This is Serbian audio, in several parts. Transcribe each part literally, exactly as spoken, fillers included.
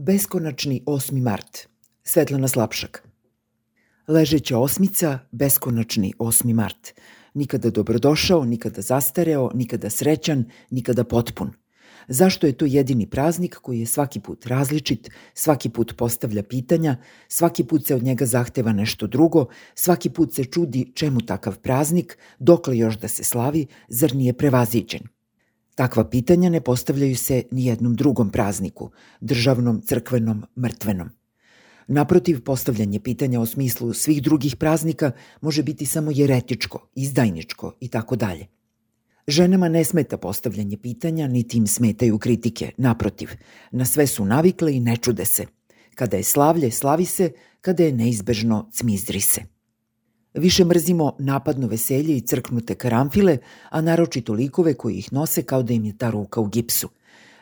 Beskonačni osmi mart. Svetlana Slapšak. Ležeća osmica, beskonačni osmi mart. Nikada dobrodošao, nikada zastareo, nikada srećan, nikada potpun. Zašto je to jedini praznik koji je svaki put različit, svaki put postavlja pitanja, svaki put se od njega zahteva nešto drugo, svaki put se čudi čemu takav praznik, dokle još da se slavi, zar nije prevaziđen? Takva pitanja ne postavljaju se ni jednom drugom prazniku, državnom, crkvenom, mrtvenom. Naprotiv, postavljanje pitanja o smislu svih drugih praznika može biti samo jeretičko, izdajničko i tako dalje. Ženama ne smeta postavljanje pitanja, niti im smetaju kritike. Naprotiv, na sve su navikle i ne čude se. Kada je slavlje, slavi se, kada je neizbežno, cmizdri se. Više mrzimo napadno veselje i crknute karamfile, a naročito likove koji ih nose kao da im je ta ruka u gipsu.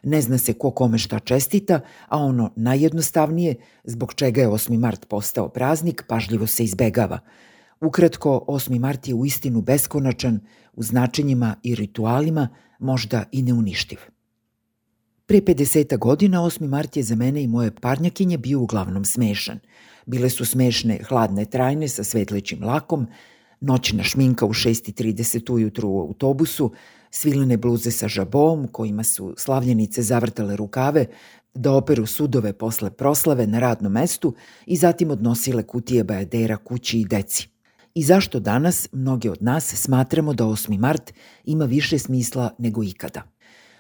Ne zna se ko kome šta čestita, a ono najjednostavnije, zbog čega je osmi mart postao praznik, pažljivo se izbegava. Ukratko, osmi mart je uistinu beskonačan, u značenjima i ritualima, možda i neuništiv. Pre pedeseta godina osmi mart je za mene i moje parnjakinje bio uglavnom smešan. Bile su smešne hladne trajne sa svetlećim lakom, noćna šminka u šest i trideset ujutru u autobusu, svilene bluze sa žabom kojima su slavljenice zavrtale rukave da operu sudove posle proslave na radnom mestu i zatim odnosile kutije bajadera kući i deci. I zašto danas mnoge od nas smatramo da osmi mart ima više smisla nego ikada?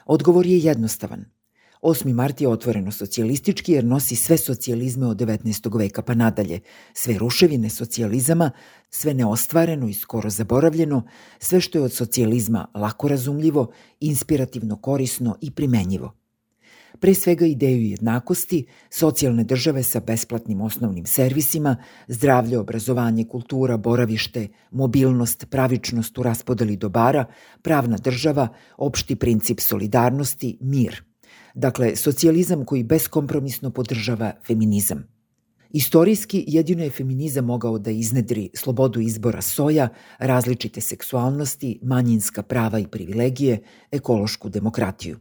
Odgovor je jednostavan. osmi mart je otvoreno socijalistički jer nosi sve socijalizme od devetnaestog veka pa nadalje, sve ruševine socijalizama, sve neostvareno i skoro zaboravljeno, sve što je od socijalizma lako razumljivo, inspirativno korisno i primenjivo. Pre svega ideju jednakosti, socijalne države sa besplatnim osnovnim servisima, zdravlje, obrazovanje, kultura, boravište, mobilnost, pravičnost u raspodeli dobara, pravna država, opšti princip solidarnosti, mir. Dakle, socijalizam koji beskompromisno podržava feminizam. Istorijski jedino je feminizam mogao da iznedri slobodu izbora soja, različite seksualnosti, manjinska prava i privilegije, ekološku demokratiju.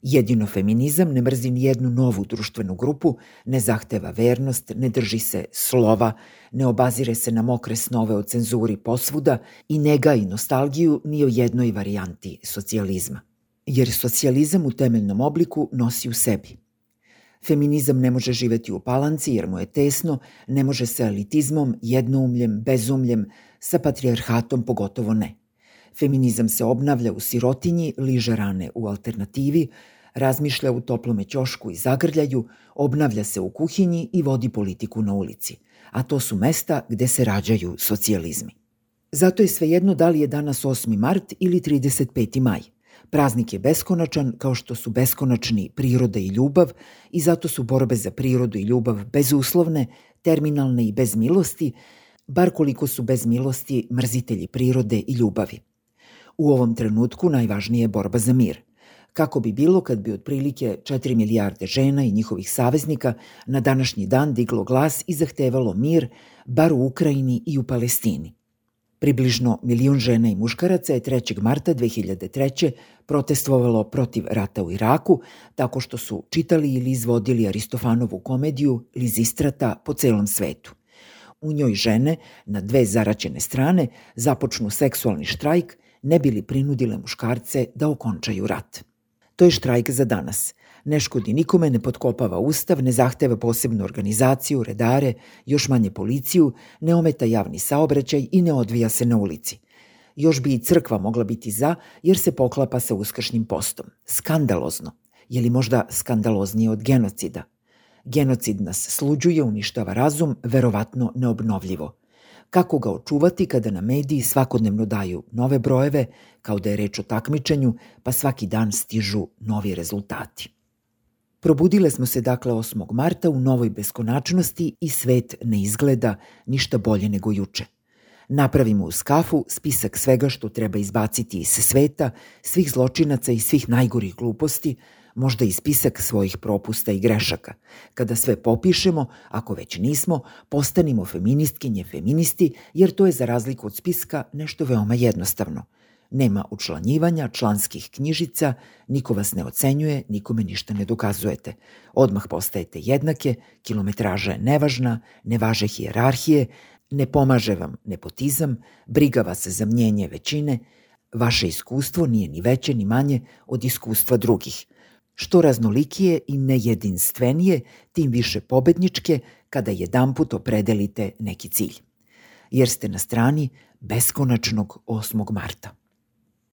Jedino feminizam ne mrzi ni jednu novu društvenu grupu, ne zahteva vernost, ne drži se slova, ne obazire se na mokre snove o cenzuri posvuda i ne gaji nostalgiju ni o jednoj varijanti socijalizma. Jer socijalizam u temeljnom obliku nosi u sebi. Feminizam ne može živeti u palanci jer mu je tesno, ne može sa elitizmom, jednoumljem, bezumljem, sa patrijarhatom pogotovo ne. Feminizam se obnavlja u sirotinji, liže rane u alternativi, razmišlja u toplome ćošku i zagrljaju, obnavlja se u kuhinji i vodi politiku na ulici. A to su mesta gde se rađaju socijalizmi. Zato je svejedno da li je danas osmi mart ili trideset peti maj. Praznik je beskonačan kao što su beskonačni priroda i ljubav i zato su borbe za prirodu i ljubav bezuslovne, terminalne i bez milosti, bar koliko su bez milosti mrzitelji prirode i ljubavi. U ovom trenutku najvažnija je borba za mir. Kako bi bilo kad bi otprilike četiri milijarde žena i njihovih saveznika na današnji dan diglo glas i zahtevalo mir, bar u Ukrajini i u Palestini. Približno milion žena i muškaraca je trećeg marta dve hiljade treće. protestvovalo protiv rata u Iraku tako što su čitali ili izvodili Aristofanovu komediju Lizistrata po celom svetu. U njoj žene, na dve zaraćene strane, započnu seksualni štrajk ne bi li prinudile muškarce da okončaju rat. To je štrajk za danas. Ne škodi nikome, ne potkopava ustav, ne zahteva posebnu organizaciju, redare, još manje policiju, ne ometa javni saobraćaj i ne odvija se na ulici. Još bi i crkva mogla biti za, jer se poklapa sa uskršnjim postom. Skandalozno. Je li možda skandaloznije od genocida? Genocid nas sluđuje, uništava razum, verovatno neobnovljivo. Kako ga očuvati kada na mediji svakodnevno daju nove brojeve, kao da je reč o takmičenju, pa svaki dan stižu novi rezultati. Probudile smo se dakle osmog marta u novoj beskonačnosti i svet ne izgleda ništa bolje nego juče. Napravimo u skafu spisak svega što treba izbaciti iz sveta, svih zločinaca i svih najgorih gluposti, možda i spisak svojih propusta i grešaka. Kada sve popišemo, ako već nismo, postanimo feministkinje, feministi, jer to je za razliku od spiska nešto veoma jednostavno. Nema učlanjivanja, članskih knjižica, niko vas ne ocenjuje, nikome ništa ne dokazujete. Odmah postajete jednake, kilometraža je nevažna, ne važe hijerarhije, ne pomaže vam nepotizam, briga vas za mnjenje većine, vaše iskustvo nije ni veće ni manje od iskustva drugih. Što raznolikije i nejedinstvenije, tim više pobedničke kada jedanput opredelite neki cilj. Jer ste na strani beskonačnog osmog marta.